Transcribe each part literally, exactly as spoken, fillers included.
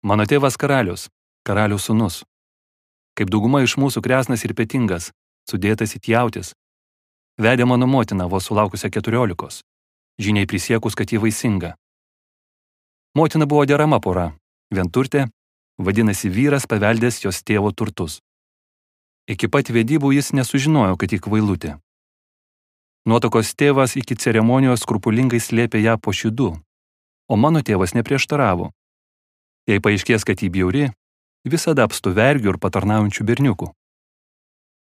Mano tėvas karalius, karalių sūnus. Kaip dauguma iš mūsų kresnas ir petingas, sudėtas it jautis. Vedė mano motina vos sulaukusią keturiolikos, žiniai prisiekus, kad ji vaisinga. Motina buvo derama pora, vienturtė, vadinasi vyras paveldės jos tėvo turtus. Iki pat vedybų jis nesužinojo, kad ji kvailutė. Nuotokos tėvas iki ceremonijos skrupulingai slėpė ją po šydų, o mano tėvas neprieštaravo. Jei paaiškės, kad ji bjauri, visada apstu vergių ir patarnaujančių berniukų.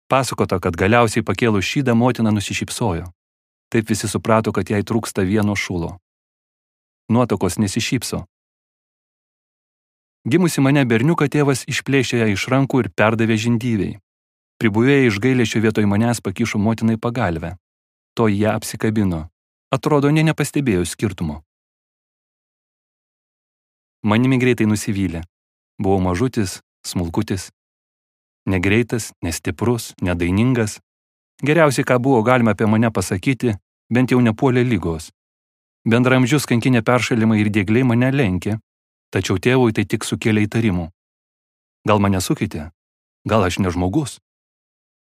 Pasakota, kad galiausiai pakėlus šydą motina nusišypsojo. Taip visi suprato, kad jai trūksta vieno šulo. Nuotokos nesišypso. Gimusi mane berniuką tėvas išplėšė ją iš rankų ir perdavė žindyviai. Pribuvėję iš gailesčio vietoj manęs pakišo motinai pagalvę. To ją apsikabino. Atrodo, nė nepastebėjo skirtumo. Manimi greitai nusivylė. Buvau mažutis, smulkutis. Negreitas, nestiprus, nedainingas. Geriausiai, ką buvo galima apie mane pasakyti, bent jau nepuolė lygos. Bendramžius kankinė peršalimai ir diegliai mane lenkė, tačiau tėvui tai tik sukėlė įtarimų. Gal mane sukeitė? Gal aš ne žmogus?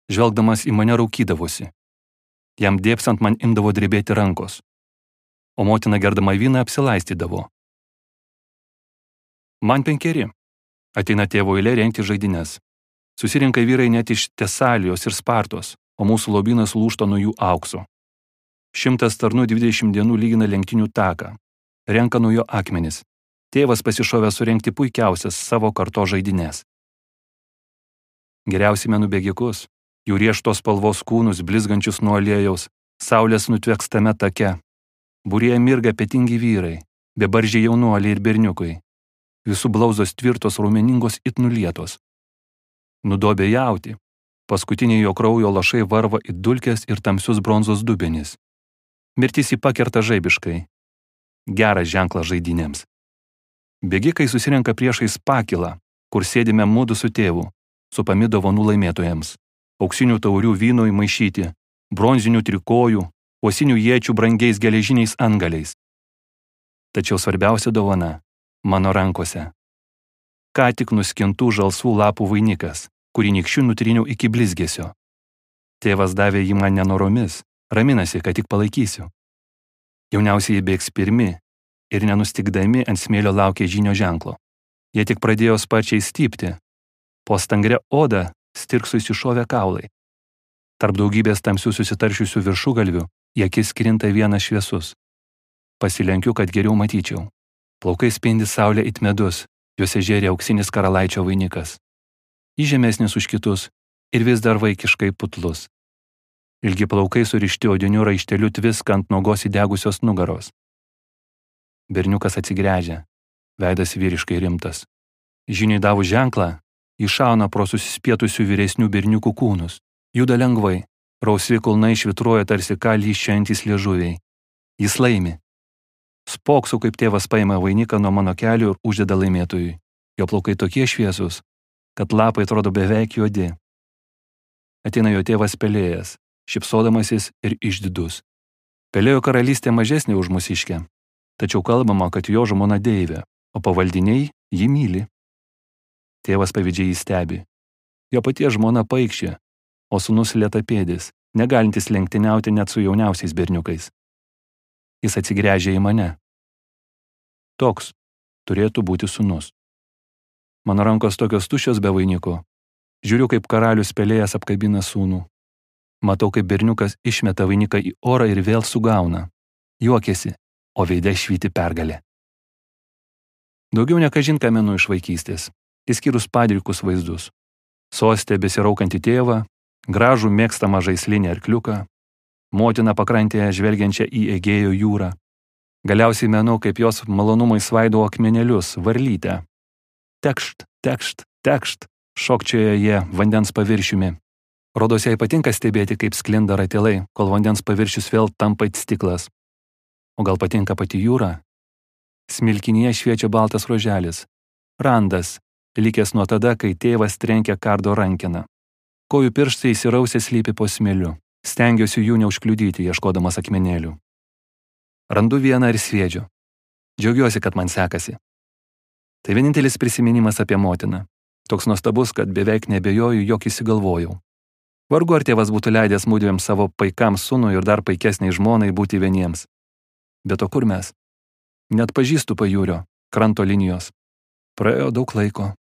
Žvelgdamas į mane raukydavosi. Jam dėpsant man imdavo drebėti rankos, o motina gerdama vyną apsilaistydavo. Man penkeri. Ateina tėvo eilė rengti žaidynės. Susirinka vyrai net iš Tesalijos ir Spartos, o mūsų lobynas lūžta nuo jų aukso. Šimtas tarnų dvidešimt dienų lygina lenktynių taką. Renka nuo jo akmenis. Tėvas pasišovė surengti puikiausias savo karto žaidynės. Geriausi menų bėgikus, jų rieštos spalvos kūnus blizgančius nuo aliejaus, saulės nutvekstame take. Būryje mirga petingi vyrai, bebaržiai jaunuoliai ir berniukai. Visų blauzdos tvirtos raumeningos it nulietos. Nudobė jauti. Paskutiniai jo kraujo lašai varva į dulkes ir tamsius bronzos dubenis. Mirtis jį pakerta žaibiškai. Geras ženklas žaidynėms. Bėgikai susirenka priešais pakilą, kur sėdime mudu su tėvu, supami dovanų laimėtojams. Auksinių taurių vynų įmaišyti, bronzinių trikojų, uosinių iečių brangiais geležiniais antgaliais. Tačiau svarbiausia dovana – mano rankose. Ką tik nuskintų žalsvų lapų vainikas, kurį nykščiu nutryniau iki blizgesio. Tėvas davė jį man nenoromis, raminasi, kad tik palaikysiu. Jauniausiai bėgs pirmi ir nenustikdami ant smėlio laukė žynio ženklo. Jie tik pradėjo sparčiai stypti. Po stangre oda stirksui iššovė kaulai. Tarp daugybės tamsių susitaršiusių viršugalvių į akis krinta vienas šviesus. Pasilenkiu, kad geriau matyčiau. Plaukai spindi saulė it medus, juose žėrė auksinis karalaičio vainikas. Jis žemesnis už kitus ir vis dar vaikiškai putlus. Ilgi plaukai surišti odiniu raišteliu tviska ant nuogos įdegusios nugaros. Berniukas atsigręžia, veidas vyriškai rimtas. Žiniai davus ženklą, iššauna pro susispietusių vyresnių berniukų kūnus. Juda lengvai, rausvi kulnai švitruoja tarsi ką lyščiantys liežuviai. Jis laimi. Spoksu, kaip tėvas paima vainiką nuo mano kelių ir uždeda laimėtojui. Jo plaukai tokie šviesus, kad lapai atrodo beveik juodi. Ateina jo tėvas Pelėjas, šypsodamasis ir išdidus. Pelėjo karalystė mažesnė už mūsiškę, tačiau kalbama, kad jo žmona Deivė, o pavaldiniai jį myli. Tėvas pavydžiai jį stebi. Jo paties žmona paikščia, o sūnus lėtapėdis, negalintis lenktyniauti net su jauniausiais berniukais. Jis atsigręžia į mane. Toks turėtų būti sūnus. Mano rankos tokios tuščios be vainiko. Žiūriu, kaip karalius Pelėjas apkabina sūnų. Matau, kaip berniukas išmeta vainiką į orą ir vėl sugauna. Juokiasi, o veide švyti pergalė. Daugiau nekažin ką menu iš vaikystės, išskyrus padrikus vaizdus. Sostė besiraukantį tėvą, gražų mėgstamą žaislinį arkliuką, motiną pakrantėje žvelgiančią į Egėjo jūrą. Galiausiai menu, kaip jos malonumai svaido akmenėlius, varlytę. Tekšt, tekšt, tekšt, šokčioja jie vandens paviršiumi. Rodos jai patinka stebėti, kaip sklinda ratilai, kol vandens paviršius vėl tampa it stiklas. O gal patinka pati jūra? Smilkinyje šviečia baltas ruoželis. Randas, likęs nuo tada, kai tėvas trenkia kardo rankeną. Kojų pirštai įsirausę slypi po smėliu. Stengiuosi jų neužkliudyti, ieškodamas akmenėlių. Randu vieną ir sviedžiu. Džiaugiuosi, kad man sekasi. Tai vienintelis prisiminimas apie motiną. Toks nuostabus, kad beveik nebejoju, jog įsigalvojau. Vargu ar tėvas būtų leidęs mudviem savo paikams sūnui ir dar paikesniai žmonai būti vieniems. Bet o kur mes? Net pažįstu pajūrio, kranto linijos. Praėjo daug laiko.